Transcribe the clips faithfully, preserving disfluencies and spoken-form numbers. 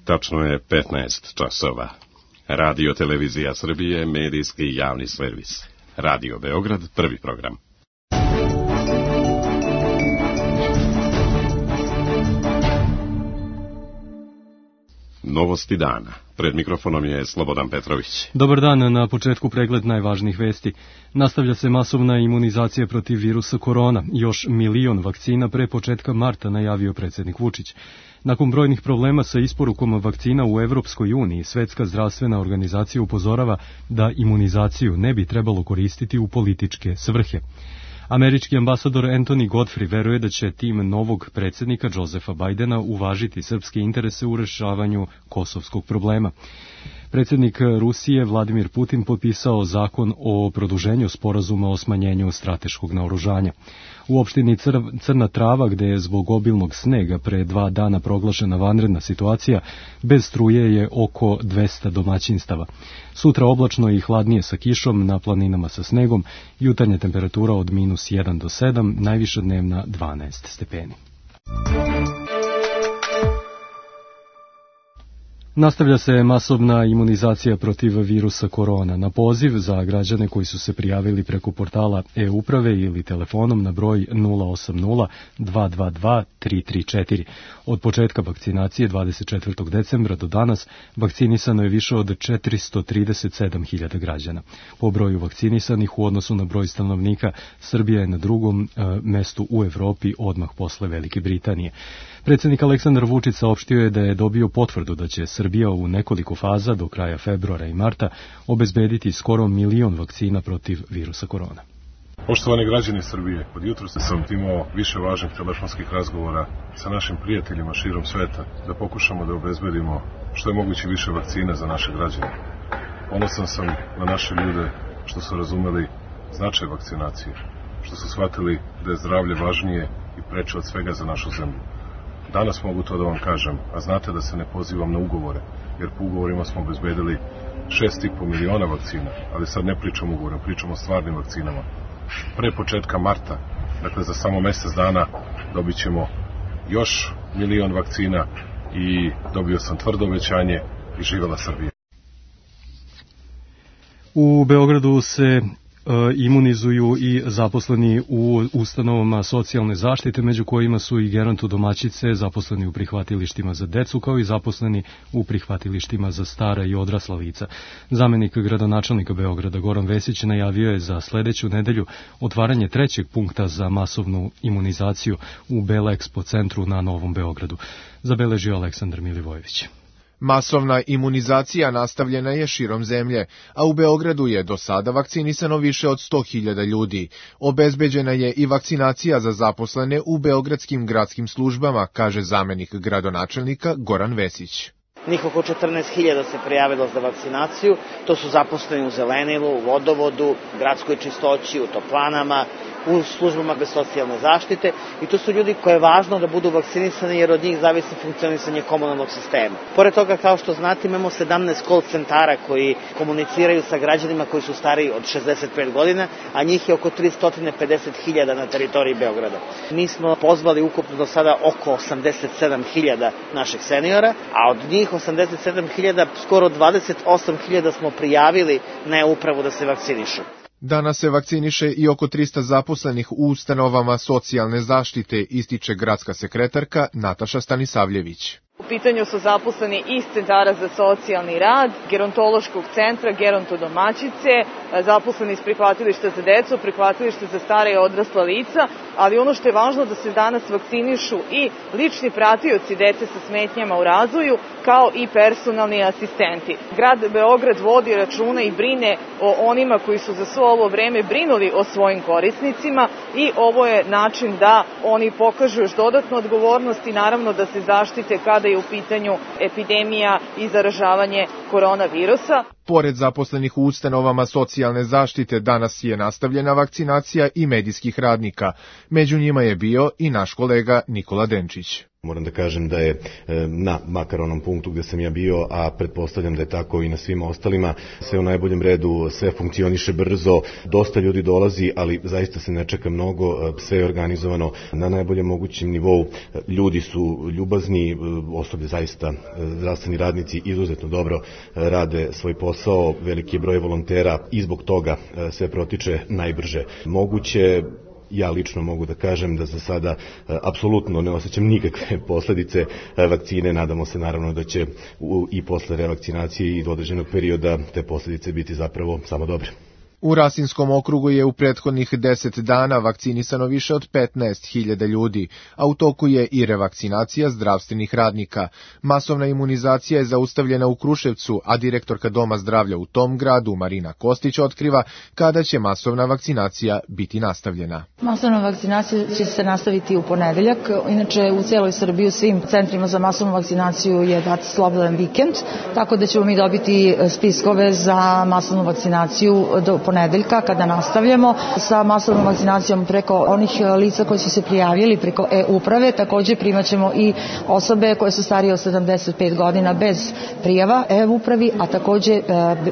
Tačno je petnaest časova. Radio Televizija Srbije, medijski javni servis. Radio Beograd, prvi program. Novosti dana. Pred mikrofonom je Slobodan Petrović. Dobar dan, na početku pregled najvažnijih vesti. Nastavlja se masovna imunizacija protiv virusa korona. Još milion vakcina pre početka marta, najavio predsjednik Vučić. Nakon brojnih problema sa isporukom vakcina u Evropskoj uniji, Svetska zdravstvena organizacija upozorava da imunizaciju ne bi trebalo koristiti u političke svrhe. Američki ambasador Anthony Godfrey veruje da će tim novog predsjednika Josefa Bajdena uvažiti srpske interese u rešavanju kosovskog problema. Predsjednik Rusije Vladimir Putin potpisao zakon o produženju sporazuma o smanjenju strateškog naoružanja. U opštini Crna Trava, gde je zbog obilnog snega pre dva dana proglašena vanredna situacija, bez struje je oko dvesta domaćinstava. Sutra oblačno i hladnije sa kišom, na planinama sa snegom, jutarnja temperatura od minus jedan do sedam, najviša dnevna dvanaest stepeni. Nastavlja se masovna imunizacija protiv virusa korona. Na poziv za građane koji su se prijavili preko portala e-uprave ili telefonom na broj nula osam nula dva dva dva tri tri četiri. Od početka vakcinacije dvadeset četvrtog decembra do danas vakcinisano je više od četiristo trideset sedam hiljada građana. Po broju vakcinisanih u odnosu na broj stanovnika, Srbija je na drugom e, mestu u Evropi odmah posle Velike Britanije. Predsjednik Aleksandar Vučić saopštio je da je dobio potvrdu da će Srbija u nekoliko faza do kraja februara i marta obezbediti skoro milion vakcina protiv virusa korona. Poštovani građani Srbije, od jutra sam imao više važnih telefonskih razgovora sa našim prijateljima širom sveta da pokušamo da obezbedimo što je moguće više vakcina za naše građane. Ponosan sam na naše ljude što su razumeli značaj vakcinacije, što su shvatili da je zdravlje važnije i preče od svega za našu zemlju. Danas mogu to da vam kažem, a znate da se ne pozivam na ugovore, jer po ugovorima smo obezbedili šest i po miliona vakcina, ali sad ne pričam o ugovorima, pričam o stvarnim vakcinama. Pre početka marta, dakle za samo mesec dana, dobit ćemo još milion vakcina i dobio sam tvrdo obećanje i živela Srbija. U Beogradu se imunizuju i zaposleni u ustanovama socijalne zaštite, među kojima su i gerontodomaćice, zaposleni u prihvatilištima za decu, kao i zaposleni u prihvatilištima za stara i odrasla lica. Zamenik gradonačelnika Beograda Goran Vesić najavio je za sledeću nedelju otvaranje trećeg punkta za masovnu imunizaciju u Bela Expo centru na Novom Beogradu. Zabeležio Aleksandar Milivojević. Masovna imunizacija nastavljena je širom zemlje, a u Beogradu je do sada vakcinisano više od sto hiljada ljudi. Obezbeđena je i vakcinacija za zaposlene u beogradskim gradskim službama, kaže zamenik gradonačelnika Goran Vesić. Njih oko četrnaest hiljada se prijavilo za vakcinaciju, to su zaposleni u zelenilu, u vodovodu, gradskoj čistoći, u toplanama, u službama bez socijalne zaštite i to su ljudi koje je važno da budu vakcinisani jer od njih zavisi funkcionisanje komunalnog sistema. Pored toga, kao što znate, imamo sedamnaest call centara koji komuniciraju sa građanima koji su stariji od šezdeset pet godina, a njih je oko tristo pedeset hiljada na teritoriji Beograda. Mi smo pozvali ukupno do sada oko osamdeset sedam hiljada naših seniora, a od njih osamdeset sedam hiljada, skoro dvadeset osam hiljada smo prijavili na upravu da se vakcinišu. Danas se vakciniše i oko trista zaposlenih u ustanovama socijalne zaštite, ističe gradska sekretarka Nataša Stanisavljević. U pitanju su zaposleni iz centara za socijalni rad, gerontološkog centra, gerontodomaćice, zaposleni iz prihvatilišta za decu, prihvatilišta za stara i odrasla lica, ali ono što je važno da se danas vakcinišu i lični pratioci dece sa smetnjama u razvoju, kao i personalni asistenti. Grad Beograd vodi računa i brine o onima koji su za svo ovo vreme brinuli o svojim korisnicima i ovo je način da oni pokažu još dodatnu odgovornost i naravno da se zaštite kada je u pitanju epidemija i zaražavanje koronavirusa. Pored zaposlenih u ustanovama socijalne zaštite, danas je nastavljena vakcinacija i medijskih radnika. Među njima je bio i naš kolega Nikola Denčić. Moram da kažem da je na makar onom punktu gde sam ja bio, a pretpostavljam da je tako i na svima ostalima, sve u najboljem redu, sve funkcioniše brzo, dosta ljudi dolazi, ali zaista se ne čeka mnogo, sve je organizovano na najboljem mogućem nivou, ljudi su ljubazni, osoblje zaista, zdravstveni radnici izuzetno dobro rade svoj posao, veliki je broj volontera i zbog toga sve protiče najbrže moguće. Ja lično mogu da kažem da za sada apsolutno ne osjećam nikakve posledice vakcine. Nadamo se naravno da će i posle revakcinacije i do određenog perioda te posledice biti zapravo samo dobre. U Rasinskom okrugu je u prethodnih deset dana vakcinisano više od petnaest hiljada ljudi, a u toku je i revakcinacija zdravstvenih radnika. Masovna imunizacija je zaustavljena u Kruševcu, a direktorka Doma zdravlja u tom gradu, Marina Kostić, otkriva kada će masovna vakcinacija biti nastavljena. Masovna vakcinacija će se nastaviti u ponedeljak. Inače, u cijeloj Srbiji u svim centrima za masovnu vakcinaciju je dat slobodan vikend, tako da ćemo mi dobiti spiskove za masovnu vakcinaciju do ponedeljka. ponedeljka kada nastavljamo sa masovnom vakcinacijom preko onih lica koji su se prijavili preko e-uprave. Također primaćemo i osobe koje su starije od sedamdeset pet godina bez prijava e-upravi, a također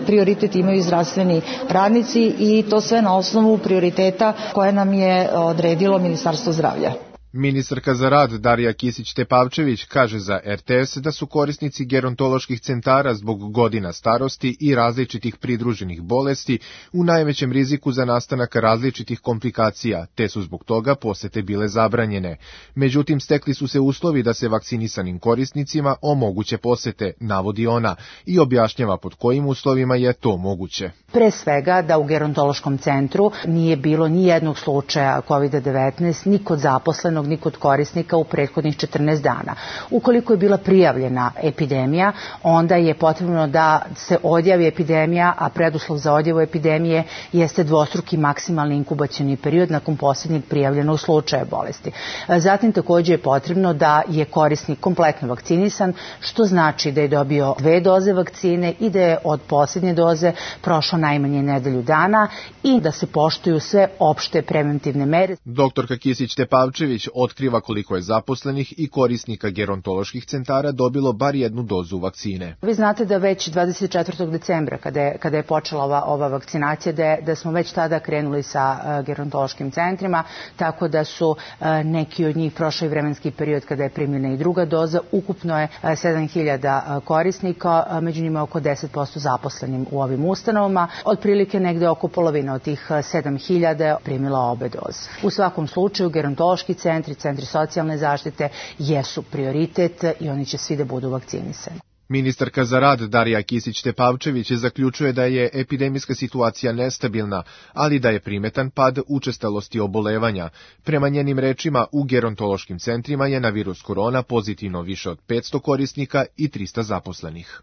prioritet imaju i zdravstveni radnici i to sve na osnovu prioriteta koje nam je odredilo Ministarstvo zdravlja. Ministarka za rad Darija Kisić-Tepavčević kaže za er te es da su korisnici gerontoloških centara zbog godina starosti i različitih pridruženih bolesti u najvećem riziku za nastanak različitih komplikacija, te su zbog toga posete bile zabranjene. Međutim, stekli su se uslovi da se vakcinisanim korisnicima omoguće posete, navodi ona, i objašnjava pod kojim uslovima je to moguće. Pre svega da u gerontološkom centru nije bilo ni jednog slučaja kovid devetnaest, ni kod zaposlenog, ni kod korisnika u prethodnih četrnaest dana. Ukoliko je bila prijavljena epidemija, onda je potrebno da se odjavi epidemija, a preduslov za odjavu epidemije jeste dvostruki maksimalni inkubacioni period nakon posljednjeg prijavljenog slučaja bolesti. Zatim također je potrebno da je korisnik kompletno vakcinisan, što znači da je dobio dve doze vakcine i da je od posljednje doze prošlo najmanje nedelju dana i da se poštuju sve opšte preventivne mere. Doktorka Kisić-Tepavčević otkriva koliko je zaposlenih i korisnika gerontoloških centara dobilo bar jednu dozu vakcine. Vi znate da već dvadeset četvrtog decembra, kada je, kada je počela ova, ova vakcinacija, da, je, da smo već tada krenuli sa uh, gerontološkim centrima, tako da su uh, neki od njih prošli vremenski period kada je primljena i druga doza. Ukupno je uh, sedam hiljada uh, korisnika, uh, među njima oko deset posto zaposlenim u ovim ustanovama. Otprilike negde oko polovina od tih uh, sedam hiljada primila obe doze. U svakom slučaju, gerontološki centri, centri socijalne zaštite jesu prioritet i oni će svi da budu vakcinisani. Ministarka za rad Darija Kisić-Tepavčević zaključuje da je epidemijska situacija nestabilna, ali da je primetan pad učestalosti obolevanja. Prema njenim rečima, u gerontološkim centrima je na virus korona pozitivno više od petsto korisnika i trista zaposlenih.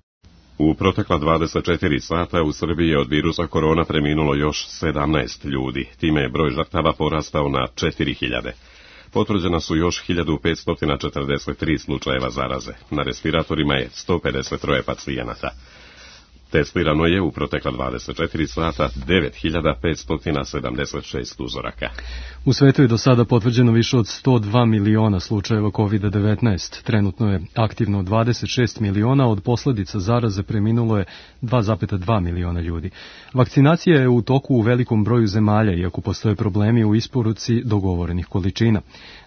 U protekla dvadeset četiri sata u Srbiji je od virusa korona preminulo još sedamnaest ljudi, time je broj žrtava porastao na četiri hiljade. Potvrđena su još hiljadu petsto četrdeset tri slučajeva zaraze. Na respiratorima je sto pedeset tri pacijenata. Testirano je u protekla dvadeset četiri sata devet hiljada petsto sedamdeset šest uzoraka. U svetu je do sada potvrđeno više od sto dva miliona slučajeva kovid devetnaest. Trenutno je aktivno dvadeset šest miliona, od posljedica zaraze preminulo je dva zarez dva miliona ljudi. Vakcinacija je u toku u velikom broju zemalja, iako postoje problemi u isporuci dogovorenih količina.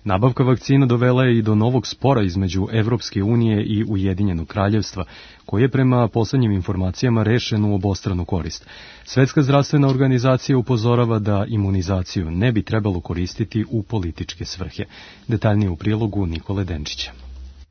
Nabavka vakcina dovela je i do novog spora između Evropske unije i Ujedinjenog kraljevstva, koji je prema poslednjim informacijama rešen u obostranu korist. Svetska zdravstvena organizacija upozorava da imunizaciju ne bi trebalo koristiti u političke svrhe. Detaljnije u prilogu Nikole Denčića.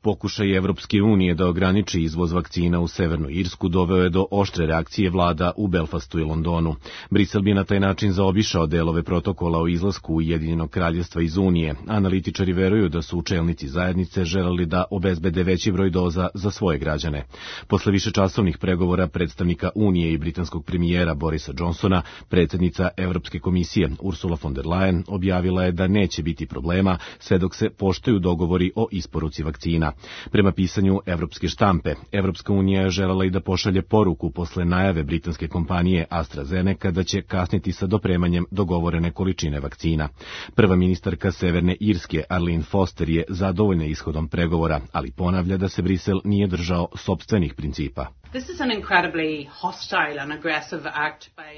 Pokušaj Evropske unije da ograniči izvoz vakcina u Severnu Irsku doveo je do oštre reakcije vlada u Belfastu i Londonu. Brisel bi na taj način zaobišao delove protokola o izlasku Ujedinjenog kraljevstva iz Unije. Analitičari veruju da su čelnici zajednice želeli da obezbede veći broj doza za svoje građane. Posle višečasovnih pregovora predstavnika Unije i britanskog premijera Borisa Johnsona, predsjednica Evropske komisije Ursula von der Leyen objavila je da neće biti problema sve dok se poštuju dogovori o isporuci vakcina. vakcina. Prema pisanju evropske štampe, Evropska unija je želela i da pošalje poruku posle najave britanske kompanije AstraZeneca da će kasniti sa dopremanjem dogovorene količine vakcina. Prva ministarka Severne Irske, Arlene Foster, je zadovoljna ishodom pregovora, ali ponavlja da se Brisel nije držao sopstvenih principa.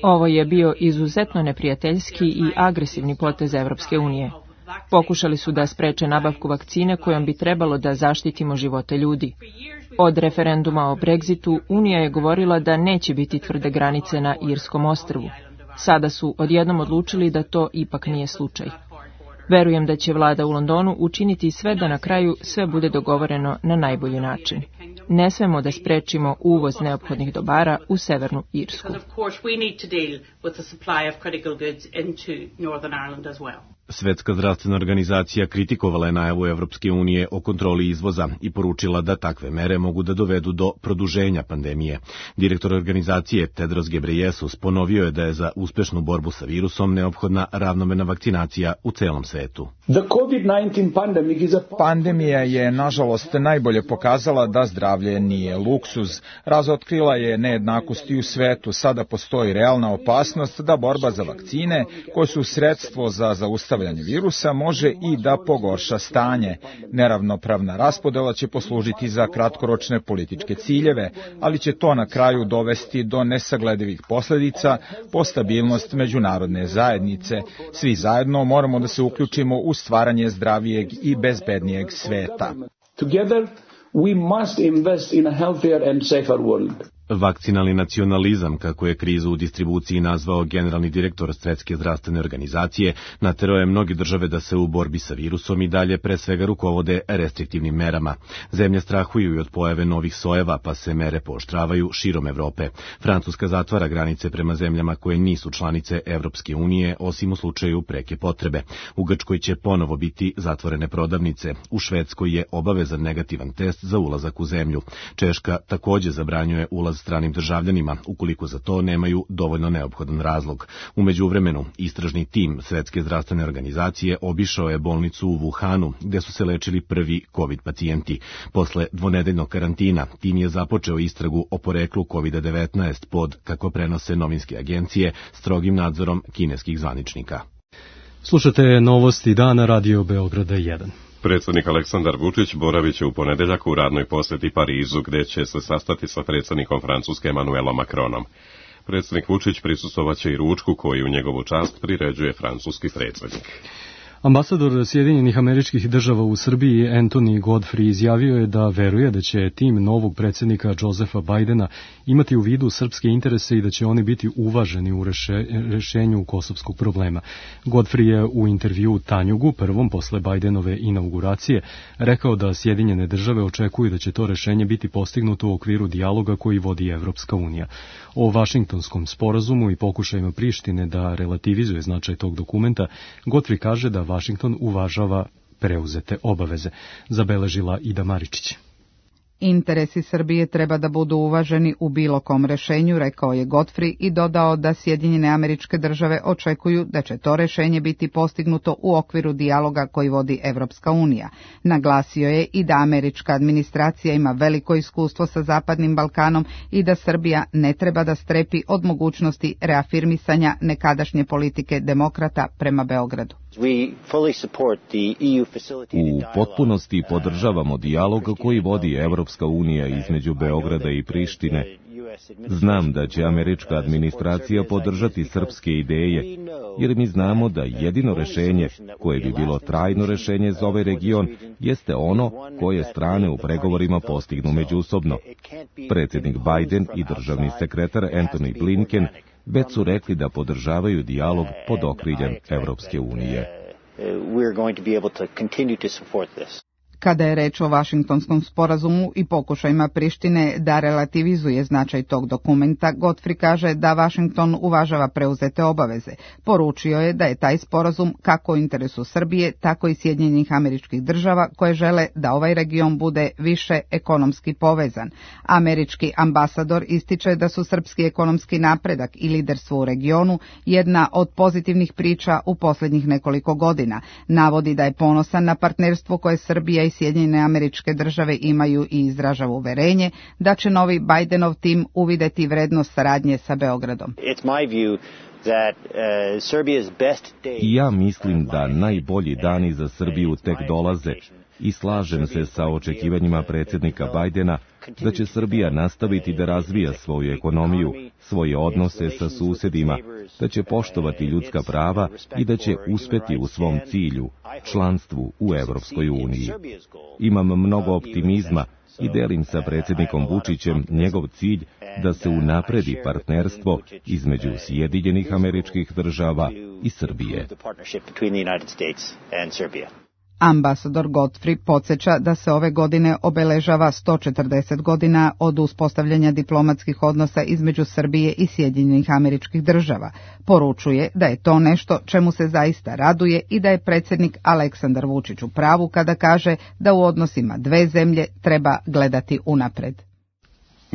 Ovo je bio izuzetno neprijateljski i agresivni potez Evropske unije. Pokušali su da spreče nabavku vakcine kojom bi trebalo da zaštitimo živote ljudi. Od referenduma o Brexitu Unija je govorila da neće biti tvrde granice na Irskom ostrvu. Sada su odjednom odlučili da to ipak nije slučaj. Verujem da će vlada u Londonu učiniti sve da na kraju sve bude dogovoreno na najbolji način. Ne smemo da sprečimo uvoz neophodnih dobara u Severnu Irsku. Svetska zdravstvena organizacija kritikovala je najavu Evropske unije o kontroli izvoza i poručila da takve mere mogu da dovedu do produženja pandemije. Direktor organizacije Tedros Ghebreyesus ponovio je da je za uspešnu borbu sa virusom neophodna ravnomerna vakcinacija u celom svetu. Pandemija je, nažalost, najbolje pokazala da zdravlje nije luksuz. Razotkrila je nejednakosti u svetu. Sada postoji realna opasnost da borba za vakcine, koje su sredstvo za zaustavljanje virusa, može i da pogorša stanje. Neravnopravna raspodela će poslužiti za kratkoročne političke ciljeve, ali će to na kraju dovesti do nesagledivih posledica po stabilnost međunarodne zajednice. Svi zajedno moramo da se uključimo u stvaranje zdravijeg i bezbednijeg sveta. Together we must invest in a healthier and safer world. Vakcinalni nacionalizam, kako je krizu u distribuciji nazvao generalni direktor Svetske zdravstvene organizacije, naterao je mnoge države da se u borbi sa virusom i dalje pre svega rukovode restriktivnim merama. Zemlje strahuju i od pojave novih sojeva, pa se mere pooštravaju širom Evrope. Francuska zatvara granice prema zemljama koje nisu članice Evropske unije, osim u slučaju preke potrebe. U Grčkoj će ponovo biti zatvorene prodavnice. U Švedskoj je obavezan negativan test za ulazak u zemlju. Češka takođe zabranjuje ulaz stranim državljanima, ukoliko za to nemaju dovoljno neophodan razlog. U međuvremenu, istražni tim Svetske zdravstvene organizacije obišao je bolnicu u Wuhanu, gde su se lečili prvi COVID pacijenti. Posle dvonedeljnog karantina, tim je započeo istragu o poreklu kovid devetnaest pod, kako prenose novinske agencije, strogim nadzorom kineskih zvaničnika. Slušate novosti dana Radio Beograda jedan. Predsjednik Aleksandar Vučić boravit će u ponedeljak u radnoj posjeti Parizu, gdje će se sastati sa predsjednikom Francuske Emmanuelom Macronom. Predsjednik Vučić prisustvovaće i ručku koji u njegovu čast priređuje francuski predsjednik. Ambasador Sjedinjenih Američkih Država u Srbiji Anthony Godfrey izjavio je da veruje da će tim novog predsjednika Josefa Bidena imati u vidu srpske interese i da će oni biti uvaženi u reše, rešenju kosovskog problema. Godfrey je u intervju Tanjugu, prvom posle Bidenove inauguracije, rekao da Sjedinjene Države očekuju da će to rešenje biti postignuto u okviru dijaloga koji vodi Evropska unija. O Vašingtonskom sporazumu i pokušajima Prištine da relativizuje značaj tog dokumenta, Godfrey kaže da Vašington uvažava preuzete obaveze, zabeležila Ida Maričić. Interesi Srbije treba da budu uvaženi u bilo kom rešenju, rekao je Godfrey i dodao da Sjedinjene Američke Države očekuju da će to rešenje biti postignuto u okviru dijaloga koji vodi Evropska unija. Naglasio je i da američka administracija ima veliko iskustvo sa Zapadnim Balkanom i da Srbija ne treba da strepi od mogućnosti reafirmisanja nekadašnje politike demokrata prema Beogradu. U potpunosti podržavamo dijalog koji vodi Evropska unija između Beograda i Prištine. Znam da će američka administracija podržati srpske ideje, jer mi znamo da jedino rešenje, koje bi bilo trajno rešenje za ovaj region, jeste ono koje strane u pregovorima postignu međusobno. Predsjednik Biden i državni sekretar Antony Blinken već su rekli da podržavaju dijalog pod okriljem Evropske unije. Kada je reč o Vašingtonskom sporazumu i pokušajima Prištine da relativizuje značaj tog dokumenta, Godfrey kaže da Vašington uvažava preuzete obaveze. Poručio je da je taj sporazum kako u interesu Srbije, tako i Sjedinjenih Američkih Država koje žele da ovaj region bude više ekonomski povezan. Američki ambasador ističe da su srpski ekonomski napredak i liderstvo u regionu jedna od pozitivnih priča u posljednjih nekoliko godina. Navodi da je ponosan na partnerstvo koje Srbija i Sjedinjene Američke Države imaju i izražava uverenje da će novi Bidenov tim uvideti vrednost saradnje sa Beogradom. I ja mislim da najbolji dani za Srbiju tek dolaze i slažem se sa očekivanjima predsjednika Bajdena da će Srbija nastaviti da razvija svoju ekonomiju, svoje odnose sa susjedima, da će poštovati ljudska prava i da će uspeti u svom cilju, članstvu u Evropskoj uniji. Imam mnogo optimizma i delim sa predsjednikom Vučićem njegov cilj da se unapredi partnerstvo između Sjedinjenih Američkih Država i Srbije. Ambasador Godfrey podsjeća da se ove godine obeležava sto četrdeset godina od uspostavljanja diplomatskih odnosa između Srbije i Sjedinjenih Američkih Država. Poručuje da je to nešto čemu se zaista raduje i da je predsjednik Aleksandar Vučić u pravu kada kaže da u odnosima dve zemlje treba gledati unapred.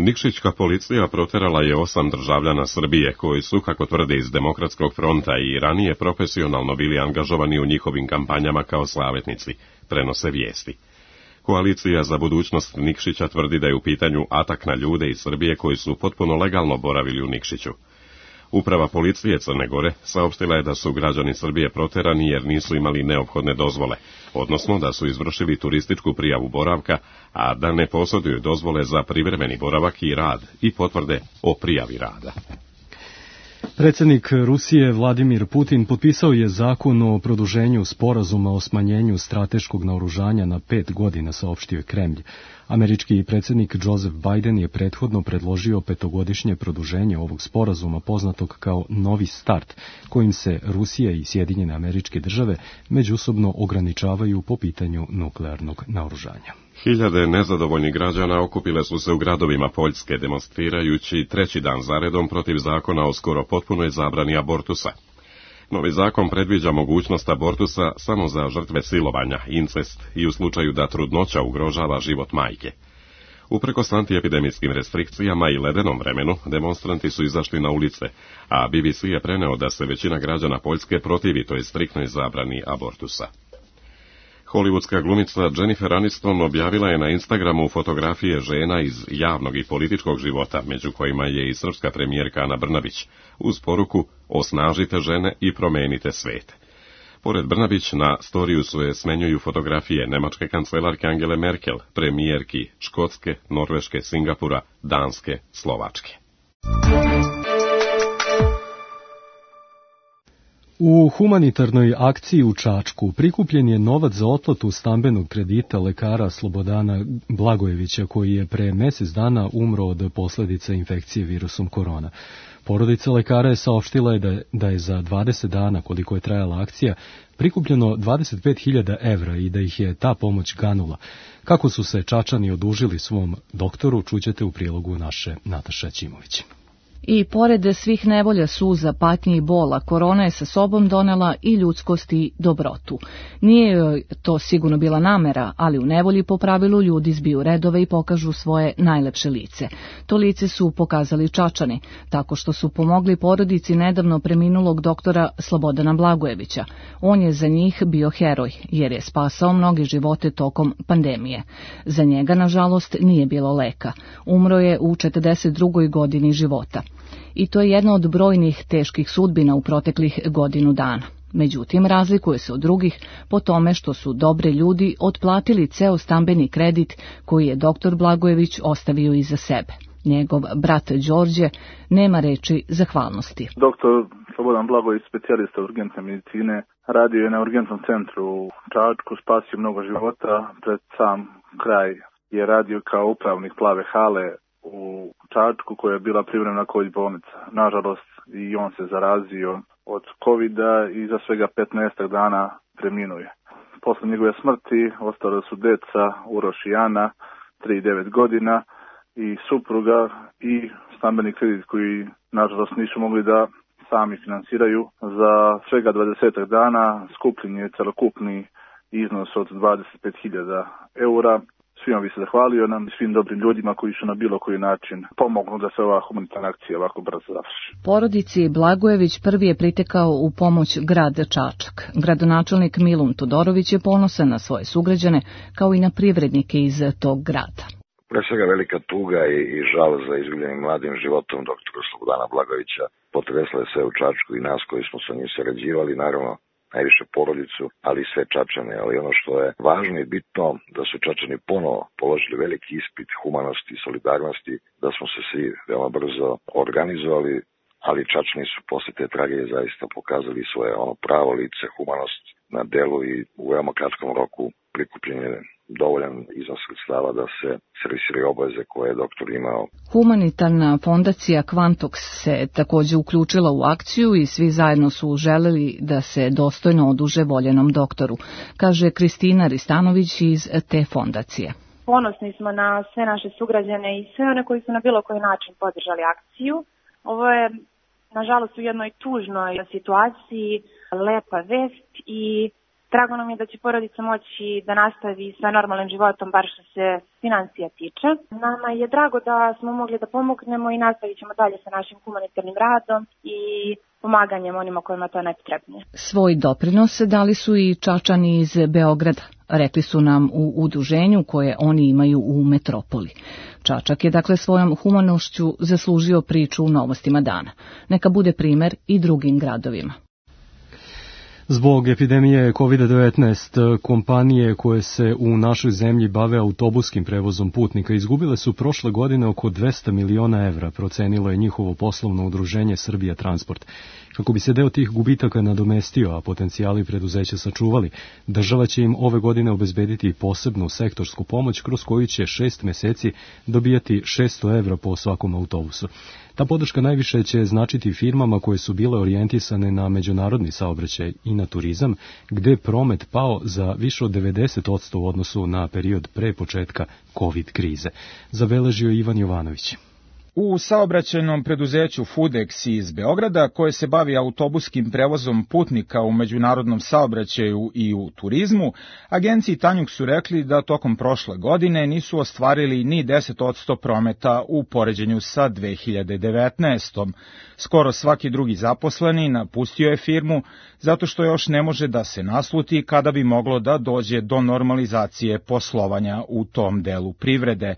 Nikšićka policija proterala je osam državljana Srbije koji su, kako tvrde iz Demokratskog fronta, i ranije profesionalno bili angažovani u njihovim kampanjama kao slavetnici, prenose vijesti. Koalicija za budućnost Nikšića tvrdi da je u pitanju atak na ljude iz Srbije koji su potpuno legalno boravili u Nikšiću. Uprava policije Crne Gore saopštila je da su građani Srbije proterani jer nisu imali neophodne dozvole, odnosno da su izvršili turističku prijavu boravka, a da ne posjeduju dozvole za privremeni boravak i rad i potvrde o prijavi rada. Predsjednik Rusije Vladimir Putin potpisao je zakon o produženju sporazuma o smanjenju strateškog naoružanja na pet godina, saopštio je Kremlj. Američki predsjednik Joseph Biden je prethodno predložio petogodišnje produženje ovog sporazuma poznatog kao Novi start, kojim se Rusija i Sjedinjene Američke Države međusobno ograničavaju po pitanju nuklearnog naoružanja. Hiljade nezadovoljnih građana okupile su se u gradovima Poljske, demonstrirajući treći dan zaredom protiv zakona o skoro potpunoj zabrani abortusa. Novi zakon predviđa mogućnost abortusa samo za žrtve silovanja, incest i u slučaju da trudnoća ugrožava život majke. Uprkos antiepidemijskim restrikcijama i ledenom vremenu, demonstranti su izašli na ulice, a B B C je preneo da se većina građana Poljske protivi toj striktnoj zabrani abortusa. Hollywoodska glumica Jennifer Aniston objavila je na Instagramu fotografije žena iz javnog i političkog života, među kojima je i srpska premijerka Ana Brnabić, uz poruku "Osnažite žene i promenite svet". Pored Brnabić, na storiju su je smenjuju fotografije nemačke kancelarke Angele Merkel, premijerki Škotske, Norveške, Singapura, Danske, Slovačke. U humanitarnoj akciji u Čačku prikupljen je novac za otplatu stambenog kredita lekara Slobodana Blagojevića, koji je pre mjesec dana umro od posljedica infekcije virusom korona. Porodica lekara je saopštila je da, da je za dvadeset dana, koliko je trajala akcija, prikupljeno dvadeset pet hiljada evra i da ih je ta pomoć ganula. Kako su se Čačani odužili svom doktoru, čućete u prilogu naše Nataša Ćimović. I pored svih nevolja, suza, patnje i bola, korona je sa sobom donela i ljudskost i dobrotu. Nije joj to sigurno bila namera, ali u nevolji po pravilu ljudi zbiju redove i pokažu svoje najlepše lice. To lice su pokazali Čačani, tako što su pomogli porodici nedavno preminulog doktora Slobodana Blagojevića. On je za njih bio heroj, jer je spasao mnoge živote tokom pandemije. Za njega, nažalost, nije bilo leka. Umro je u četrdeset drugoj godini života. I to je jedna od brojnih teških sudbina u proteklih godinu dana. Međutim, razlikuje se od drugih po tome što su dobre ljudi otplatili ceo stambeni kredit koji je doktor Blagojević ostavio iza sebe. Njegov brat Đorđe nema reči zahvalnosti. Doktor Slobodan Blagojević, specijalista urgentne medicine, radio je na urgentnom centru u Čačku, spasio mnogo života. Pred sam kraj je radio kao upravnik Plave hale u Čačku, koja je bila privremena COVID bolnica. Nažalost, i on se zarazio od covida i za svega petnaestak dana preminuje. Posle njegove smrti ostale su deca Uroš i Ana, tri i devet godina, i supruga i stambeni kredit koji nažalost nisu mogli da sami finansiraju. Za svega dvadesetak dana skupljen je celokupni iznos od dvadeset pet hiljada eura. Svi svima bi se zahvalio nam i svim dobrim ljudima koji su na bilo koji način pomognu da se ova humanitarna akcija ovako brzo završi. Porodici Blagojević prvi je pritekao u pomoć grad Čačak. Gradonačelnik Milun Todorović je ponosan na svoje sugrađane, kao i na privrednike iz tog grada. Pre svega velika tuga i, i žal za izgubljenim mladim životom doktora Slobodana Blagojevića potresla je sve u Čačku i nas koji smo sa njim sarađivali, naravno najviše porodicu, ali i sve Čačane. Ali ono što je važno i bitno, da su Čačani ponovo položili veliki ispit humanosti i solidarnosti, da smo se svi veoma brzo organizovali, ali Čačani su posle te tragedije zaista pokazali svoje ono pravo lice, humanost na delu i u veoma kratkom roku prikupljen je dovoljan iznos sredstava da se servisiraju obaveze koje je doktor imao. Humanitarna fondacija Quantox se takođe uključila u akciju i svi zajedno su želeli da se dostojno oduže voljenom doktoru, kaže Kristina Ristanović iz te fondacije. Ponosni smo na sve naše sugrađane i sve one koji su na bilo koji način podržali akciju. Ovo je, nažalost, u jednoj tužnoj situaciji lepa vest i drago nam je da će porodica moći da nastavi sa normalnim životom, bar što se financija tiče. Nama je drago da smo mogli da pomognemo i nastavit ćemo dalje sa našim humanitarnim radom i pomaganjem onima kojima to najpotrebnije. Svoj doprinos dali su i Čačani iz Beograda, rekli su nam u udruženju koje oni imaju u metropoli. Čačak je dakle svojom humanošću zaslužio priču u Novostima dana. Neka bude primer i drugim gradovima. Zbog epidemije kovid devetnaest, kompanije koje se u našoj zemlji bave autobuskim prevozom putnika izgubile su prošle godine oko dvesta miliona evra, procenilo je njihovo poslovno udruženje Srbija Transport. Kako bi se deo tih gubitaka nadomestio, a potencijali preduzeća sačuvali, država će im ove godine obezbediti posebnu sektorsku pomoć kroz koju će šest meseci dobijati šesto evra po svakom autobusu. Ta podrška najviše će značiti firmama koje su bile orijentisane na međunarodni saobraćaj i na turizam, gde je promet pao za više od devedeset posto u odnosu na period pre početka COVID krize. Zabeležio Ivan Jovanović. U saobraćajnom preduzeću Fudex iz Beograda, koje se bavi autobuskim prevozom putnika u međunarodnom saobraćaju i u turizmu, agenciji Tanjug su rekli da tokom prošle godine nisu ostvarili ni deset posto prometa u poređenju sa dve hiljade devetnaestom. Skoro svaki drugi zaposleni napustio je firmu zato što još ne može da se nasluti kada bi moglo da dođe do normalizacije poslovanja u tom delu privrede.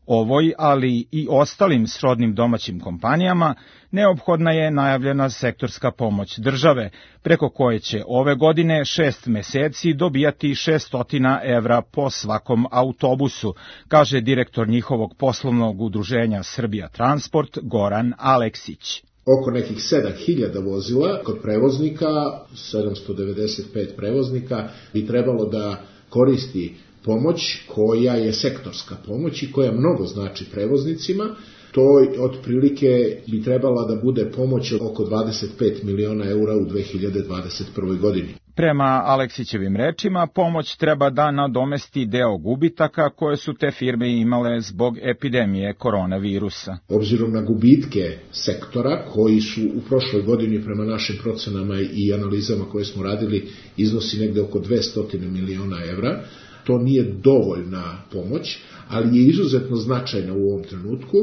Ovoj, ali i ostalim srodnim domaćim kompanijama, neophodna je najavljena sektorska pomoć države, preko koje će ove godine šest meseci dobijati šesto evra po svakom autobusu, kaže direktor njihovog poslovnog udruženja Srbija Transport Goran Aleksić. Oko nekih sedam hiljada vozila kod prevoznika, sedamsto devedeset pet prevoznika, bi trebalo da koristi pomoć koja je sektorska pomoć i koja mnogo znači prevoznicima. To otprilike bi trebala da bude pomoć oko dvadeset pet miliona eura u dve hiljade dvadeset prvoj godini. Prema Aleksićevim rečima, pomoć treba da nadomesti deo gubitaka koje su te firme imale zbog epidemije koronavirusa. Obzirom na gubitke sektora koji su u prošloj godini prema našim procenama i analizama koje smo radili iznosi negde oko dvesta miliona evra, to nije dovoljna pomoć, ali je izuzetno značajna u ovom trenutku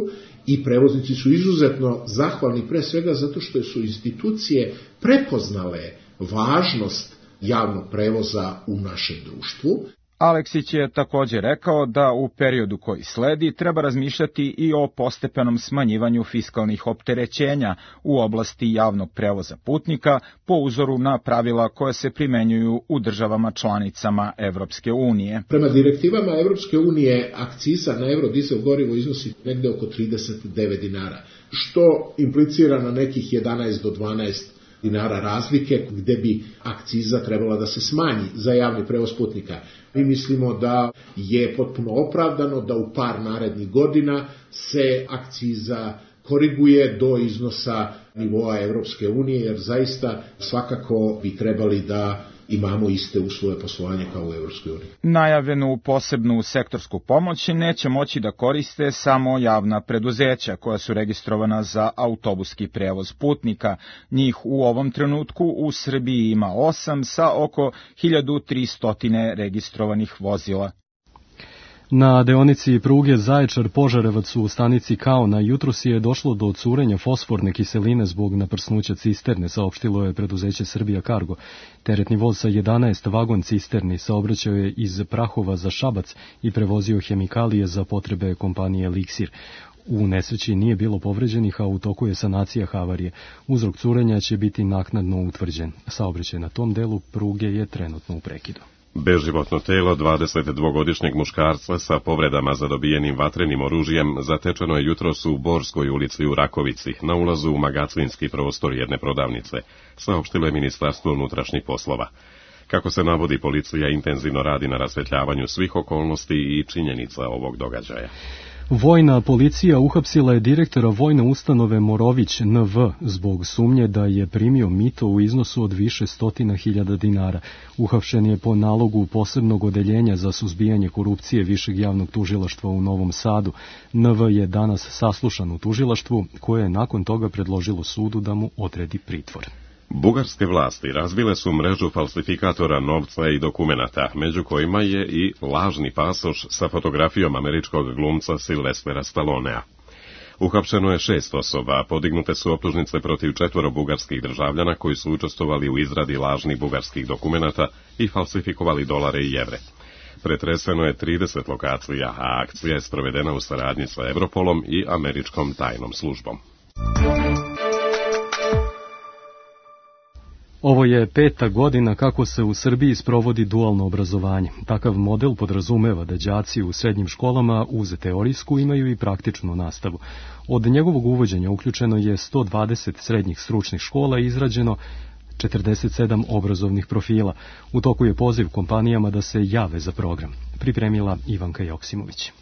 i prevoznici su izuzetno zahvalni pre svega zato što su institucije prepoznale važnost javnog prevoza u našem društvu. Aleksić je također rekao da u periodu koji sledi treba razmišljati i o postepenom smanjivanju fiskalnih opterećenja u oblasti javnog prevoza putnika po uzoru na pravila koje se primenjuju u državama članicama Evropske unije. Prema direktivama Evropske unije akciza na eurodizel gorivo iznosi negde oko trideset devet dinara, što implicira na nekih jedanaest do dvanaest dinara razlike gde bi akciza trebala da se smanji za javni prevoz putnika. Mi mislimo da je potpuno opravdano da u par narednih godina se akciza koriguje do iznosa nivoa Evropske unije, jer zaista svakako bi trebali da imamo iste uslove poslovanja kao u Evropskoj uniji. Najavljenu posebnu sektorsku pomoć neće moći da koriste samo javna preduzeća koja su registrovana za autobuski prevoz putnika. Njih u ovom trenutku u Srbiji ima osam sa oko hiljadu tristo registrovanih vozila. Na deonici pruge Zaječar-Požarevac u stanici Kaona jutros je došlo do curenja fosforne kiseline zbog naprsnuća cisterne, saopštilo je preduzeće Srbija Cargo. Teretni voz sa jedanaest vagon cisterni saobraćao je iz Prahova za Šabac i prevozio hemikalije za potrebe kompanije Eliksir. U nesreći nije bilo povređenih, a u toku je sanacija havarije. Uzrok curenja će biti naknadno utvrđen. Saobraćaj na tom delu pruge je trenutno u prekidu. Beživotno telo dvadesetdvogodišnjeg muškarca sa povredama zadobijenim vatrenim oružjem zatečeno je jutros u Borskoj ulici u Rakovici, na ulazu u magacinski prostor jedne prodavnice, saopštilo je Ministarstvo unutrašnjih poslova. Kako se navodi, policija intenzivno radi na rasvetljavanju svih okolnosti i činjenica ovog događaja. Vojna policija uhapsila je direktora vojne ustanove Morović N V zbog sumnje da je primio mito u iznosu od više stotina hiljada dinara. Uhapšen je po nalogu posebnog odeljenja za suzbijanje korupcije Višeg javnog tužilaštva u Novom Sadu. N V je danas saslušan u tužilaštvu, koje je nakon toga predložilo sudu da mu odredi pritvor. Bugarske vlasti razvile su mrežu falsifikatora novca i dokumenata, među kojima je i lažni pasoš sa fotografijom američkog glumca Silvestera Stallonea. Uhapšeno je šest osoba, podignute su optužnice protiv četvoro bugarskih državljana koji su učestvovali u izradi lažnih bugarskih dokumenata i falsifikovali dolare i evre. Pretreseno je trideset lokacija, a akcija je sprovedena u saradnji sa Europolom i američkom tajnom službom. Ovo je peta godina kako se u Srbiji sprovodi dualno obrazovanje. Takav model podrazumeva da đaci u srednjim školama uz teorijsku imaju i praktičnu nastavu. Od njegovog uvođenja uključeno je sto dvadeset srednjih stručnih škola i izrađeno četrdeset sedam obrazovnih profila. U toku je poziv kompanijama da se jave za program. Pripremila Ivanka Joksimović.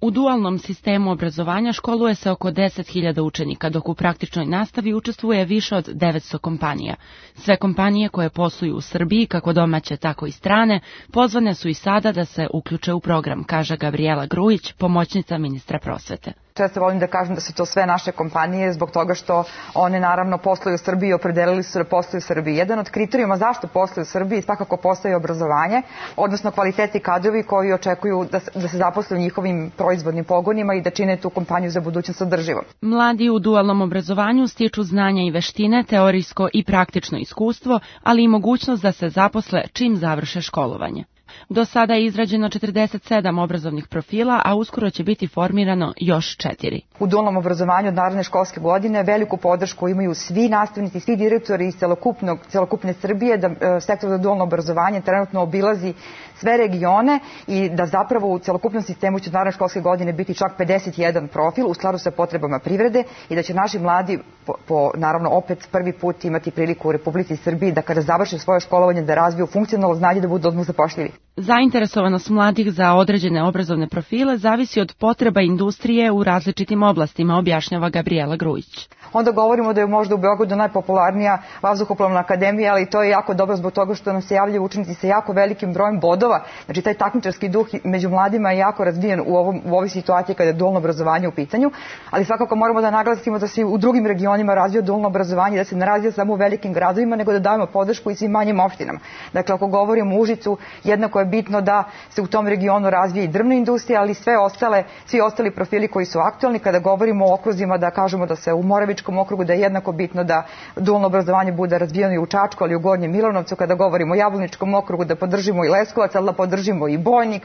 U dualnom sistemu obrazovanja školuje se oko deset hiljada učenika, dok u praktičnoj nastavi učestvuje više od devetsto kompanija. Sve kompanije koje posluju u Srbiji, kako domaće, tako i strane, pozvane su i sada da se uključe u program, kaže Gabriela Grujić, pomoćnica ministra prosvete. Često volim da kažem da su to sve naše kompanije zbog toga što one naravno posluju u Srbiji i opredelili su da posluju u Srbiji. Jedan od kriterijuma zašto posluju u Srbiji svakako postoji obrazovanje, odnosno kvaliteti kadrovi koji očekuju da se, da se zaposle u njihovim proizvodnim pogonima i da čine tu kompaniju za budućnost održivom. Mladi u dualnom obrazovanju stiču znanja i veštine, teorijsko i praktično iskustvo, ali i mogućnost da se zaposle čim završe školovanje. Do sada je izrađeno četrdeset sedam obrazovnih profila, a uskoro će biti formirano još četiri. U dualnom obrazovanju od naredne školske godine veliku podršku imaju svi nastavnici, svi direktori iz celokupnog, celokupne Srbije, da e, sektor za dualno obrazovanje trenutno obilazi sve regione i da zapravo u celokupnom sistemu će od naredne školske godine biti čak pedeset jedan profil u skladu sa potrebama privrede i da će naši mladi po, po naravno opet prvi put imati priliku u Republici Srbiji da kada završe svoje školovanje da razviju funkcionalno znanje da budu odmah zapošljivi. Zainteresovanost mladih za određene obrazovne profile zavisi od potreba industrije u različitim oblastima, objašnjava Gabriela Grujić. Onda govorimo da je možda u Beogradu najpopularnija vazduhoplovna akademija, ali to je jako dobro zbog toga što nam se javljaju učenici sa jako velikim brojem bodova. Znači taj takmičarski duh među mladima je jako razvijen u, ovom, u ovoj situaciji kada je dualno obrazovanje u pitanju, ali svakako moramo da naglasimo da se u drugim regionima razvija dualno obrazovanje, da se ne razvija samo u velikim gradovima, nego da dajemo podršku i svim manjim opštinama. Dakle, ako govorimo o Užicu, jednako je bitno da se u tom regionu razvije i drvna industrija, ali sve ostale, svi ostali profili koji su aktualni. Kada govorimo o okruzima, da kažemo da se u Moravičkom okrugu, da je jednako bitno da dualno obrazovanje bude razvijeno i u Čačku, ali i u Gornjem Milanovcu. Kada govorimo o Jablaničkom okrugu, da podržimo i Leskovac, ali da podržimo i Bojnik.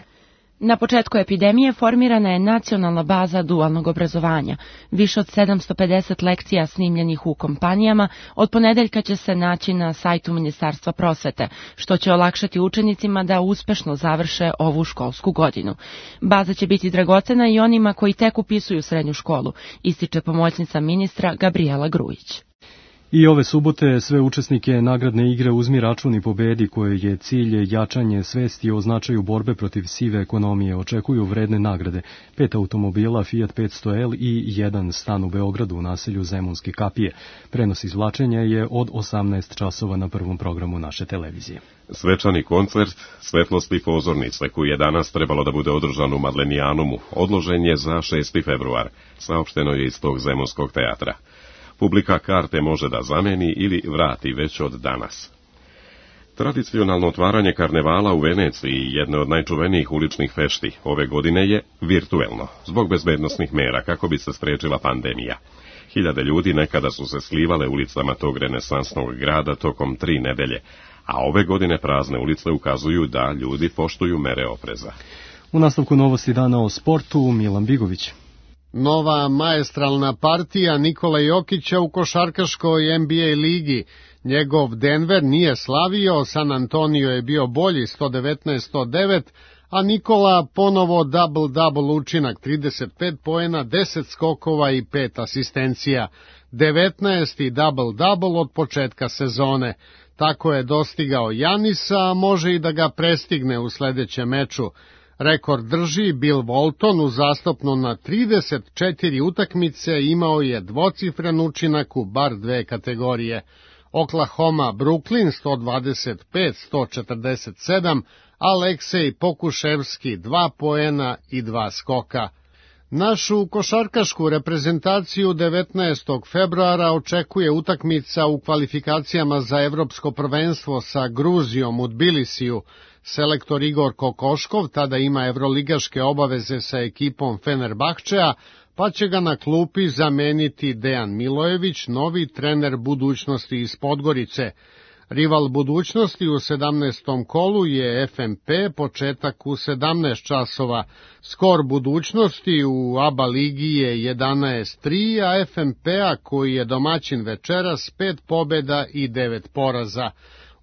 Na početku epidemije formirana je nacionalna baza dualnog obrazovanja. Više od sedamsto pedeset lekcija snimljenih u kompanijama od ponedeljka će se naći na sajtu Ministarstva prosvete, što će olakšati učenicima da uspešno završe ovu školsku godinu. Baza će biti dragocena i onima koji tek upisuju srednju školu, ističe pomoćnica ministra Gabriela Grujić. I ove subote sve učesnike nagradne igre Uzmi račun i pobedi, koje je cilj jačanje svesti o značaju borbe protiv sive ekonomije, očekuju vredne nagrade. Pet automobila Fiat petsto L i jedan stan u Beogradu u naselju Zemunske kapije. Prenos izvlačenja je od osamnaest časova na prvom programu naše televizije. Svečani koncert Svetlosti pozornice, koji je danas trebalo da bude održan u Madlenijanumu, odložen je za šesti februar, saopšteno je iz tog Zemunskog teatra. Publika karte može da zameni ili vrati već od danas. Tradicionalno otvaranje karnevala u Veneciji, jedne od najčuvenijih uličnih fešti, ove godine je virtuelno, zbog bezbednosnih mera kako bi se sprečila pandemija. Hiljade ljudi nekada su se slivale ulicama tog renesansnog grada tokom tri nedelje, a ove godine prazne ulice ukazuju da ljudi poštuju mere opreza. U nastavku novosti dana o sportu, Milan Bigović. Nova maestralna partija Nikole Jokića u košarkaškoj N B A ligi. Njegov Denver nije slavio, San Antonio je bio bolji sto devetnaest sto devet, a Nikola ponovo double-double učinak, trideset pet poena, deset skokova i pet asistencija. devetnaesti double-double od početka sezone. Tako je dostigao Janisa, a može i da ga prestigne u sledećem meču. Rekord drži Bill Walton, uzastopno na trideset četiri utakmice imao je dvocifren učinak u bar dve kategorije. Oklahoma Brooklyn sto dvadeset pet sto četrdeset sedam, Aleksej Pokuševski dva poena i dva skoka. Našu košarkašku reprezentaciju devetnaestog februara očekuje utakmica u kvalifikacijama za evropsko prvenstvo sa Gruzijom u Tbilisiju. Selektor Igor Kokoškov tada ima evroligaške obaveze sa ekipom Fenerbahčea, pa će ga na klupi zameniti Dejan Milojević, novi trener budućnosti iz Podgorice. Rival budućnosti u sedamnaestom kolu je F M P, početak u sedamnaest časova. Skor budućnosti u A B A ligi je jedanaest tri, a F M P-a, koji je domaćin večeras, pet pobjeda i devet poraza.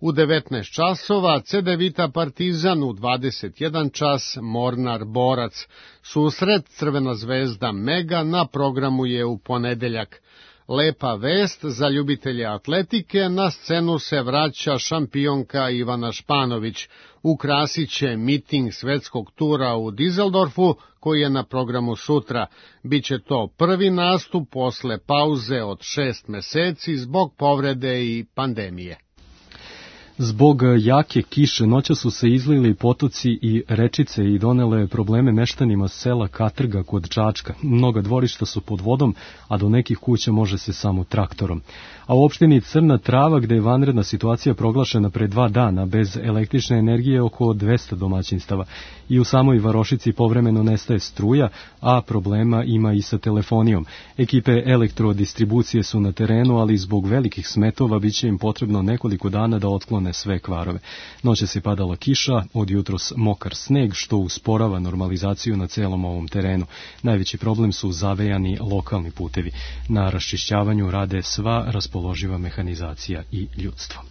U devetnaest časova Cedevita Partizan, u dvadeset jedan čas Mornar Borac. Susret Crvena zvezda Mega na programu je u ponedeljak. Lepa vest za ljubitelje atletike, na scenu se vraća šampionka Ivana Španović. Ukrasit će miting svetskog tura u Dizeldorfu, koji je na programu sutra. Biće to prvi nastup posle pauze od šest meseci zbog povrede i pandemije. Zbog jake kiše noća su se izlili potoci i rečice i donele probleme meštanima sela Katrga kod Čačka. Mnoga dvorišta su pod vodom, a do nekih kuća može se samo traktorom. A u opštini Crna Trava, gde je vanredna situacija proglašena pre dva dana, bez električne energije oko dvesta domaćinstava. I u samoj Varošici povremeno nestaje struja, a problema ima i sa telefonijom. Ekipe elektrodistribucije su na terenu, ali zbog velikih smetova biće im potrebno nekoliko dana da otklone sve kvarove. Noćas je padala kiša, od jutros mokar sneg, što usporava normalizaciju na celom ovom terenu. Najveći problem su zavejani lokalni putevi. Na raščišćavanju rade sva raspoloživa mehanizacija i ljudstvo.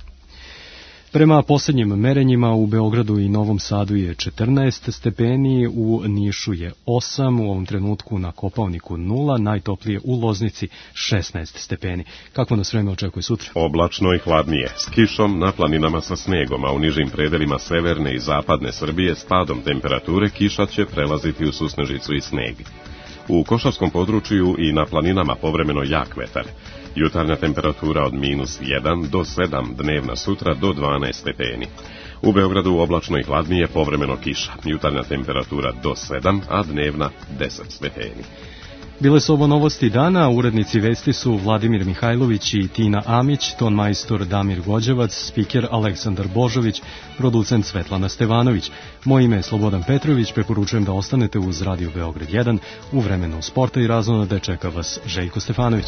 Prema posljednjim merenjima u Beogradu i Novom Sadu je četrnaest stepeni, u Nišu je osam, u ovom trenutku na Kopaoniku nula, najtoplije u Loznici šesnaest stepeni. Kako nas vreme očekuje sutra? Oblačno i hladnije, s kišom na planinama sa snegom, a u nižim predelima severne i zapadne Srbije s padom temperature kiša će prelaziti u susnežicu i sneg. U Košarskom području i na planinama povremeno jak vetar. Jutarnja temperatura od minus jedan do sedam, dnevna sutra do dvanaest stepeni. U Beogradu oblačno i hladnije, povremeno kiša. Jutarnja temperatura do sedam, a dnevna deset stepeni. Bile su ovo novosti dana, urednici vesti su Vladimir Mihajlović i Tina Amić, ton majstor Damir Gođevac, spiker Aleksandar Božović, producent Svetlana Stevanović. Moje ime je Slobodan Petrović, preporučujem da ostanete uz Radio Beograd jedan, u vremenu sporta i razonode čeka vas Željko Stefanović.